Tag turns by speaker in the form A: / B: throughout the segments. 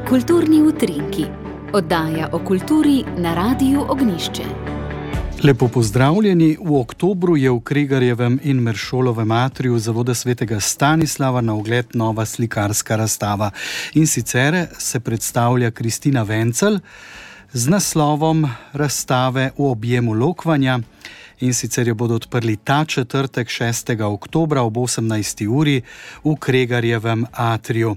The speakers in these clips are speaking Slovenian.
A: Kulturni utrinki. Oddaja o kulturi na Radiu Ognjišče.
B: Lepo pozdravljeni. V oktobru je v Kregarjevem in Meršolovem atriju Zavoda svetega Stanislava na ogled nova slikarska razstava. In sicer se predstavlja Kristina Wenzel z naslovom razstave V objemu lokvanja. In sicer jo bodo odprli ta četrtek 6. oktobra ob 18. uri v Kregarjevem atriju.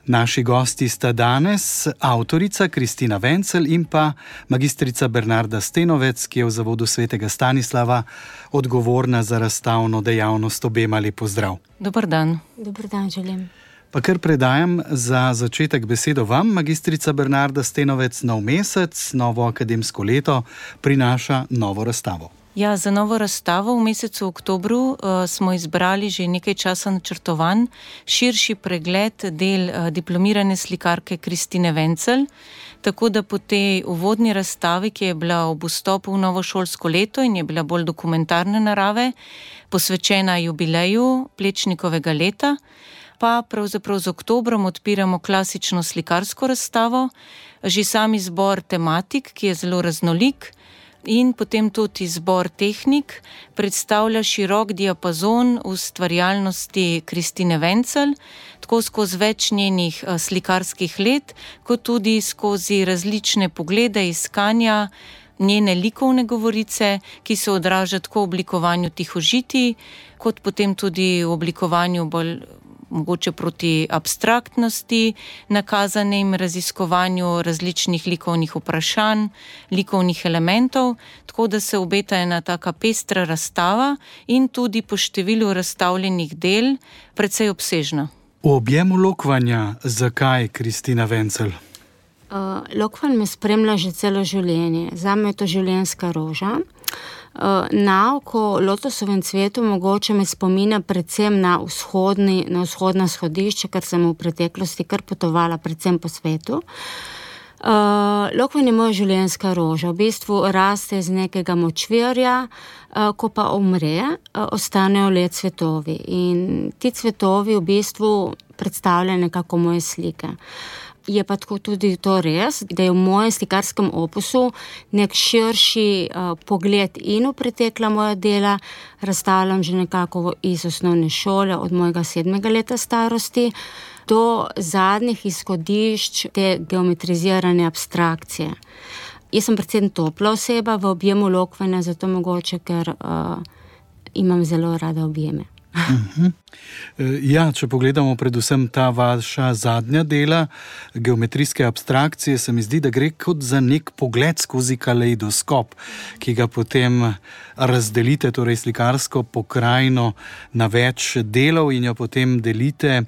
B: Naši gosti sta danes avtorica Kristina Wenzel in pa magistrica Bernarda Stenovec, ki je v Zavodu svetega Stanislava odgovorna za razstavno dejavnost. Obema lep pozdrav.
C: Dober dan.
D: Dober dan želim.
B: Pa kar predajam za začetek besedo vam, magistrica Bernarda Stenovec. Nov mesec, novo akademsko leto prinaša novo razstavo.
C: Ja, za novo razstavo v mesecu oktobru smo izbrali že nekaj časa načrtovan širši pregled del diplomirane slikarke Kristine Wenzel, tako da po tej uvodni razstavi, ki je bila ob vstopu v novo šolsko leto in je bila bolj dokumentarne narave, posvečena jubileju Plečnikovega leta, pa pravzaprav z oktobrom odpiramo klasično slikarsko razstavo, že sam izbor tematik, ki je zelo raznolik, in potem tudi izbor tehnik predstavlja širok diapazon ustvarjalnosti Kristine Wenzel, tako skozi več njenih slikarskih let, kot tudi skozi različne poglede, iskanja njene likovne govorice, ki se odraža tako v oblikovanju tihožitij, kot potem tudi v oblikovanju bolj mogoče proti abstraktnosti, nakazanim raziskovanju različnih likovnih vprašanj, likovnih elementov, tako da se obeta ena taka pestra razstava in tudi po številu razstavljenih del precej obsežna.
B: V objemu lokvanja, zakaj Kristina Wenzel?
D: Lokvanj me spremlja že celo življenje. Zame je to življenjska roža. Na oko lotosovem cvetu mogoče me spominja predvsem na vzhodna shodišča, ker sem v preteklosti kar potovala predvsem po svetu. Lokvanj je moja življenjska roža. V bistvu raste iz nekega močvirja, ko pa umre, ostanejo le cvetovi. In ti cvetovi v bistvu predstavljajo nekako moje slike. Je pa tako tudi to res, da je v mojem slikarskem opusu nek širši pogled in v pretekla moja dela. Razstavljam že nekako iz osnovne šole, od mojega 7. leta starosti, do zadnjih izhodišč te geometrizirane abstrakcije. Jaz sem predvsem topla oseba v objemu lokvanja, zato mogoče, ker imam zelo rada objeme.
B: Ja, če pogledamo predvsem ta vaša zadnja dela, geometrijske abstrakcije, se mi zdi, da gre kot za nek pogled skozi kaleidoskop, ki ga potem razdelite, torej slikarsko pokrajino na več delov in jo potem delite.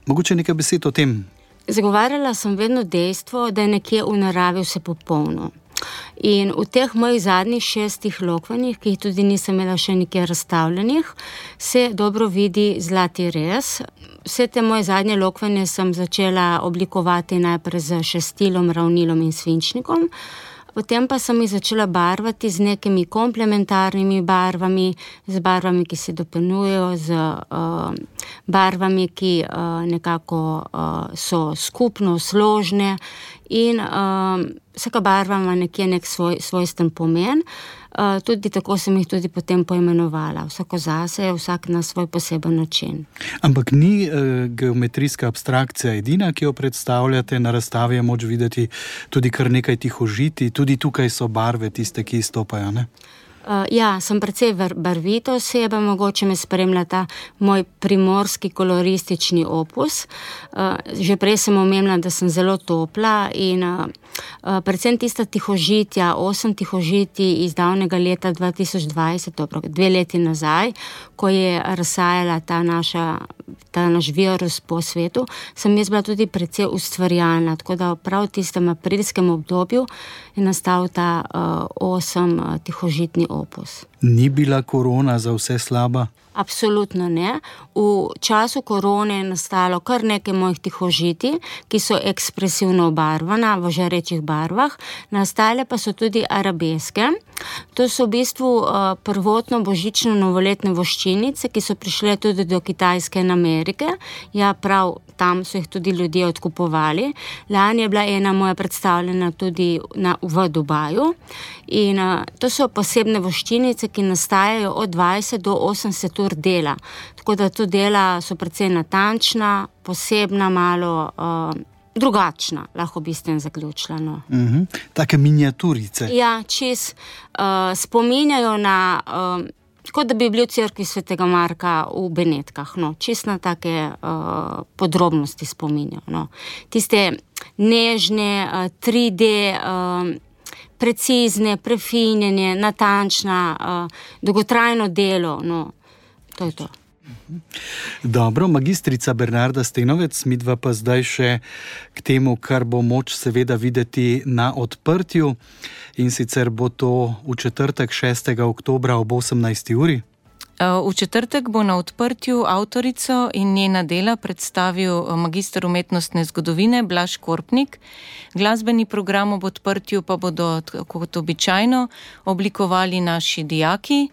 B: Mogoče nekaj besed o tem?
D: Zagovarjala sem vedno dejstvo, da je nekje v naravi vse popolno. In v teh mojih zadnjih 6 lokvanjih, ki jih tudi nisem imela še nikjer razstavljenih, se dobro vidi zlati rez. Vse te moje zadnje lokvanje sem začela oblikovati najprej z šestilom, ravnilom in svinčnikom. Potem pa sem jih začela barvati z nekimi komplementarnimi barvami, z barvami, ki se dopolnjujejo, z barvami, ki nekako so skupno složne in vsaka barva ima nekje nek svojsten pomen. Tudi tako sem jih tudi potem poimenovala. Vsako zase, vsak na svoj poseben način.
B: Ampak ni geometrijska abstrakcija edina, ki jo predstavljate. Na razstavi je moč videti tudi kar nekaj tihožitij. Tudi tukaj so barve tiste, ki izstopajo, ne?
D: Ja, sem precej barvita oseba, mogoče me spremlja ta moj primorski koloristični opus. Že prej sem omenila, da sem zelo topla in predvsem tista tihožitja, 8 tihožitij iz davnega leta 2020, dobro, 2 leti nazaj, ko je razsajala ta naš virus po svetu, sem jaz bila tudi precej ustvarjalna, tako da prav v tistem aprilskem obdobju je nastal ta 8 tihožitni opus.
B: Ni bila korona za vse slaba?
D: Absolutno ne. V času korone je nastalo kar nekaj mojih tihožitij, ki so ekspresivno obarvana v žarečih barvah. Nastale pa so tudi arabeske, To so v bistvu prvotno božično novoletne voščinice, ki so prišle tudi do Kitajske in Amerike. Ja, prav tam so jih tudi ljudje odkupovali. Lani je bila ena moja predstavljena tudi v Dubaju. In to so posebne voščinice, ki nastajajo od 20 do 80 ur dela. Tako da to dela so precej natančna, posebna, malo drugačna, lahko bi s tem zaključila. No.
B: Take miniaturice.
D: Ja, čez spominjajo na, kot da bi bili v cerkvi svetega Marka v Benetkah. No. Čez na take podrobnosti spominjajo. No. Tiste nežne, 3D, precizne, prefinjene, natančna, dolgotrajno delo. No. To je to.
B: Dobro, magistrica Bernarda Stenovec, midva pa zdaj še k temu, kar bo moč seveda videti na odprtju, in sicer bo to v četrtek 6. oktobra ob 18. uri.
C: V četrtek bo na odprtju avtorico in njena dela predstavil magister umetnostne zgodovine Blaž Korpnik. Glasbeni program ob odprtju pa bodo, kot običajno, oblikovali naši dijaki.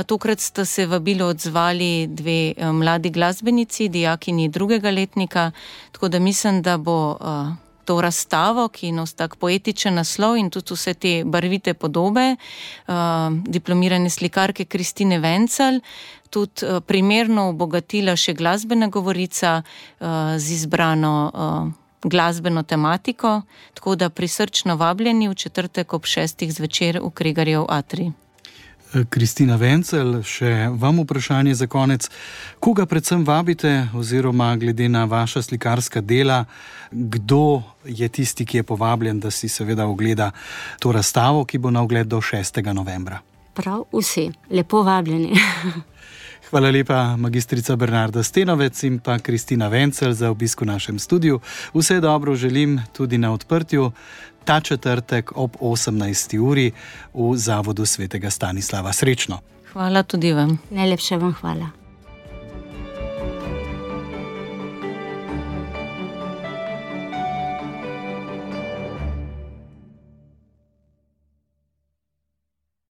C: Tokrat sta se vabilo odzvali dve mladi glasbenici, dijakinji 2. letnika, tako da mislim, da bo to razstavo, ki nosi tak poetičen naslov in tudi vse te barvite podobe diplomirane slikarke Kristine Wenzel, tudi primerno obogatila še glasbena govorica z izbrano glasbeno tematiko, tako da prisrčno vabljeni v četrtek ob 6. zvečer v Kregarjev atrij.
B: Kristina Wenzel, še vam vprašanje za konec. Koga predvsem vabite, oziroma glede na vaša slikarska dela, kdo je tisti, ki je povabljen, da si seveda ogleda to razstavo, ki bo na ogled do 6. novembra?
D: Prav vsi, lepo vabljeni.
B: Hvala lepa, magistrica Bernarda Stenovec in pa Kristina Wenzel za obisk v našem studiu. Vse dobro želim tudi na odprtju ta četrtek ob 18. uri v Zavodu svetega Stanislava. Srečno!
C: Hvala tudi vam.
D: Najlepše vam hvala.